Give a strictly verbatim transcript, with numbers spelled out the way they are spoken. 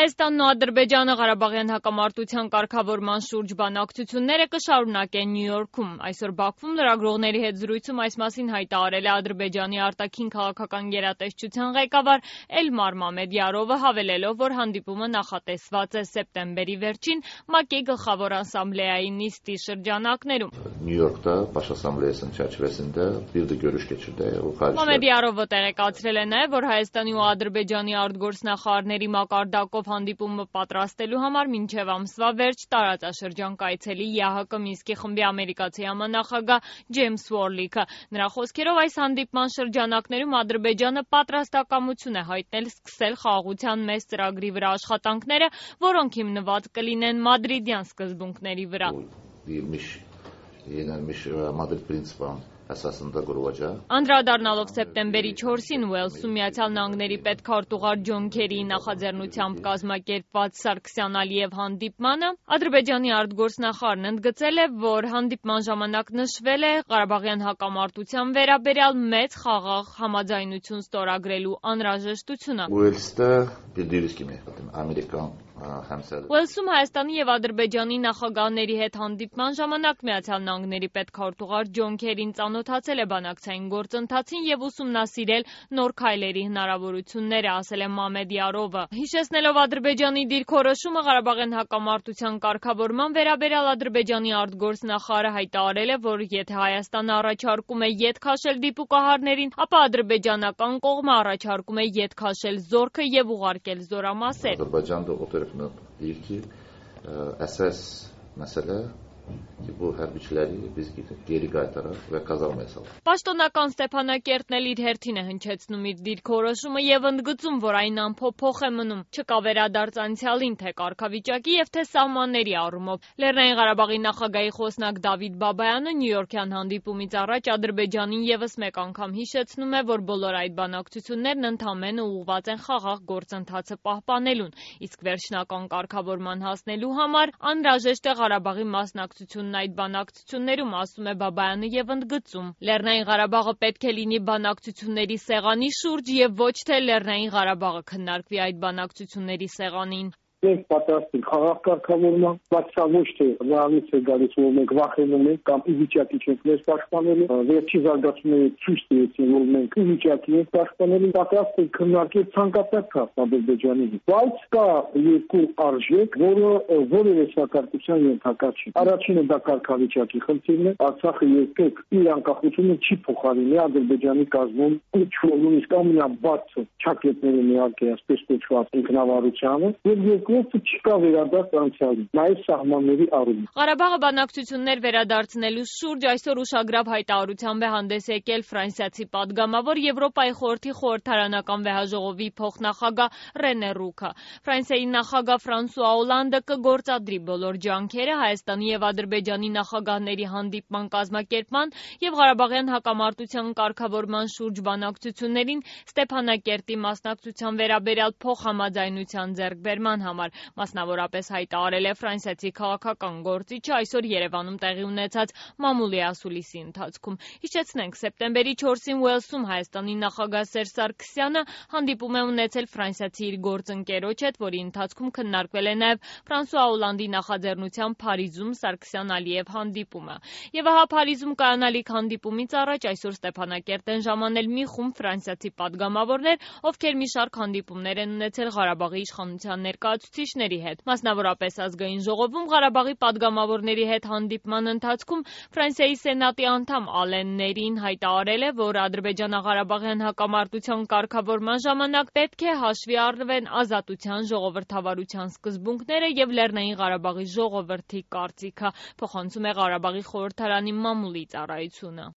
Հայաստանն ու Ադրբեջանը Ղարաբաղյան հակամարտության կարգավորման շուրջ բանակցությունները կշարունակեն Նյու Յորքում։ Այսօր Բաքվում լրագրողների հետ զրույցում այս մասին հայտարարել է Ադրբեջանի արտաքին քաղաքական գերատեսչության ղեկավար Էլմար Մամեդյարովը, հավելելով, որ հանդիպումը նախատեսված է սեպտեմբերի վերջին ՄԱԿ-ի գլխավոր ասամբլեայի նիստի շրջանակներում։ Նյու Յորk'ta Baş Asambleyası'nın çerçevesinde bir de görüş geçirdi. Մամեդյարովը տեղեկացրել է նաև, որ Հայաստանի ու Ադրբեջանի արտգործնախարարների մակարդակով հանդիպումը պատրաստելու համար մինչև ամսվա վերջ տարածաշրջան կայցելի ԵԱՀԿ Մինսկի խմբի ամերիկացի համանախագահ Ջեյմս Ուորլիքը։ Նրա խոսքերով այս հանդիպման շրջանակներում Ադրբեջանը պատրաստակամություն է հայտնել սկսել խաղաղության մեծ ծրագրի վրա աշխատանքները, որոնք հիմնված կլինեն մադրիդյան սկզբունքների վրա։ Madrid принципам əsasında qurulacaq։ Անդրադառնալով սեպտեմբերի չորսին Ուելսում Միացյալ Նահանգների պետքարտուղար Ջոն Քերիի նախաձեռնությամբ կազմակերպված Սարգսյան-Ալիև հանդիպմանը, Ադրբեջանի արտգործնախարարն ընդգծել է, որ հանդիպման ժամանակ նշվել է Ղարաբաղյան հակամարտության վերաբերյալ մեծ խաղաղ համաձայնություն ստորագրելու անհրաժեշտությունը։ Ուելսdə bildiyiniz kimi Amerikan Ուելսում Հայաստանի և Ադրբեջանի նախագահների հետ հանդիպման ժամանակ Միացյալ Նահանգների պետքարտուղար Ջոն Քերին ծանոթացել է բանակցային գործընթացին և ուսումնասիրել նոր քայլերի հնարավորությունները, ասել է Մամեդյարովը։ Հիշեցնելով Ադրբեջանի դիրքորոշումը Ղարաբաղյան հակամարտության կարգավորման վերաբերյալ Ադրբեջանի արտգործնախարարը հայտարարել է, որ եթե Հայաստանը առաջարկում է ետ քաշել դիպուկահարներին, ապա ադրբեջանական կողմը առաջարկում է ետ քաշել զորքը և ուղարկել զորամասեր։ Deyir ki, əsas məsələ ki, bu hərbiçiləri biz geri qaytaraq və qazanmaya salaq։ Պաշտոնական Ստեփանակերտն էլ իր հերթին է հնչեցնում իր դիրքորոշումը և ընդգծում, որ այն անփոփոխ է մնում, չկա վերադարձ անցյալին, թե կարգավիճակի և թե սահմանների առումով։ Լեռնային Ղարաբաղի նախագահի խոսնակ Դավիթ Բաբայանը նյույորքյան հանդիպումից առաջ Ադրբեջանին ևս մեկ անգամ հիշեցնում է, որ բոլոր այդ բանակցություններն ընդամենը ուղղված են խաղաղ գործընթացը պահպանելուն, իսկ վերջնական կարգավորման հասնելու համար անհրաժեշտ է Ղարաբաղի մասնակցությունն այդ բանակցություններում, ասում է Բաբայանը և ընդգծում. Լեռնային Ղարաբաղը պետք է լինի բանակցությունների սեղանի շուրջ և ոչ թե Լեռնային Ղարաբաղը քննարկվի այդ բանակցությունների սեղանին։ Մենք պատրաստ ենք խաղաղ կարգավորման, բայց սա ոչ թե նրանից է գալիս, որ մենք վախենում ենք կամ ի վիճակի չենք մեր պաշտպանելու, վերջի զարգացումները ցույց տվեցին, որ մենք ի վիճակի ենք պաշտպանելու, պատրաստ ենք քննարկել ցանկացած քաղաք Ադրբեջանի հետ։ Բայց կա երկու արժեք, որը որևէ սակարկության ենթակա չի։ Առաջինը դա կարգավիճակի խնդիրն է, Արցախը երբեք իր անկախությունը չի փոխարինի Ադրբեջանի կազմում ինչ-որ նույնիսկ ամենաբարձր չակետների միակ է, այսպես կոչված ինքնավարությանը, եւ երկրորդը չկա վերադարձ անցյալի, նաև սահմանների առումով։ Ղարաբաղը բանակցություններ վերադարձնելու շուրջ այսօր ուշագրավ հայտարարությամբ է հանդես եկել ֆրանսիացի պատգամավոր Եվրոպայի խորհրդի խորհրդարանական վեհաժողովի փոխնախագահ Ռենե Ռուքը։ Ֆրանսիայի նախագահ Ֆրանսուଆ Օլանդը կգործադրի բոլոր ջանքերը Հայաստանի և Ադրբեջանի նախագահների հանդիպման կազմակերպման և Ղարաբաղյան հակամարտության կարգավորման շուրջ բանակցություններին Ստեփանակերտի մասնակցության վերաբերյալ փոխհամաձայնության ձեռքբերման համար, մասնավորապես հայտարարել է ֆրանսիացի քաղաքական գործիչը այսօր Երևանում տեղի ունեցած մամուլի ասուլիսի ընթացքում։ Հիշեցնենք, սեպտեմբերի չորսին Ուելսում Հայաստանի նախագահ Սերժ Սարգսյանը հանդիպում է ունեցել ֆրանսիացի իր գործընկերոջ հետ, որի ընթացքում քննարկվել է նաև Ֆրանսուଆ Օլանդի նախաձեռնությամբ Փարիզում Սարգսյան-Ալիև հանդիպումը։ Եվ ահա Փարիզում կայանալիք հանդիպումից առաջ այսօր Ստեփանակերտ են ժամանել մի խումբ ֆրանսիացի պատգամավորներ, ովքեր մի շարք հանդիպումներ են ունեցել Ղարաբաղի իշխանության ներկայացուցիչների հետ։ Մասնավորապես Ազգային ժողովում Ղարաբաղի պատգամավորների հետ հանդիպման ընթացքում Ֆրանսիայի Սենատի անդամ Ալեն Ներին հայտարարել է, որ Ադրբեջանա-Ղարաբաղյան հակամարտության կարգավորման ժամանակ պետք է հաշվի առնվեն ազատության ժողովրդավարության սկզբունքները և Լեռնային Ղարաբաղի ժողովրդի կարծիքը, փոխանցում է Ղարաբաղի խորհրդարանի մամուլի ծառայությունը։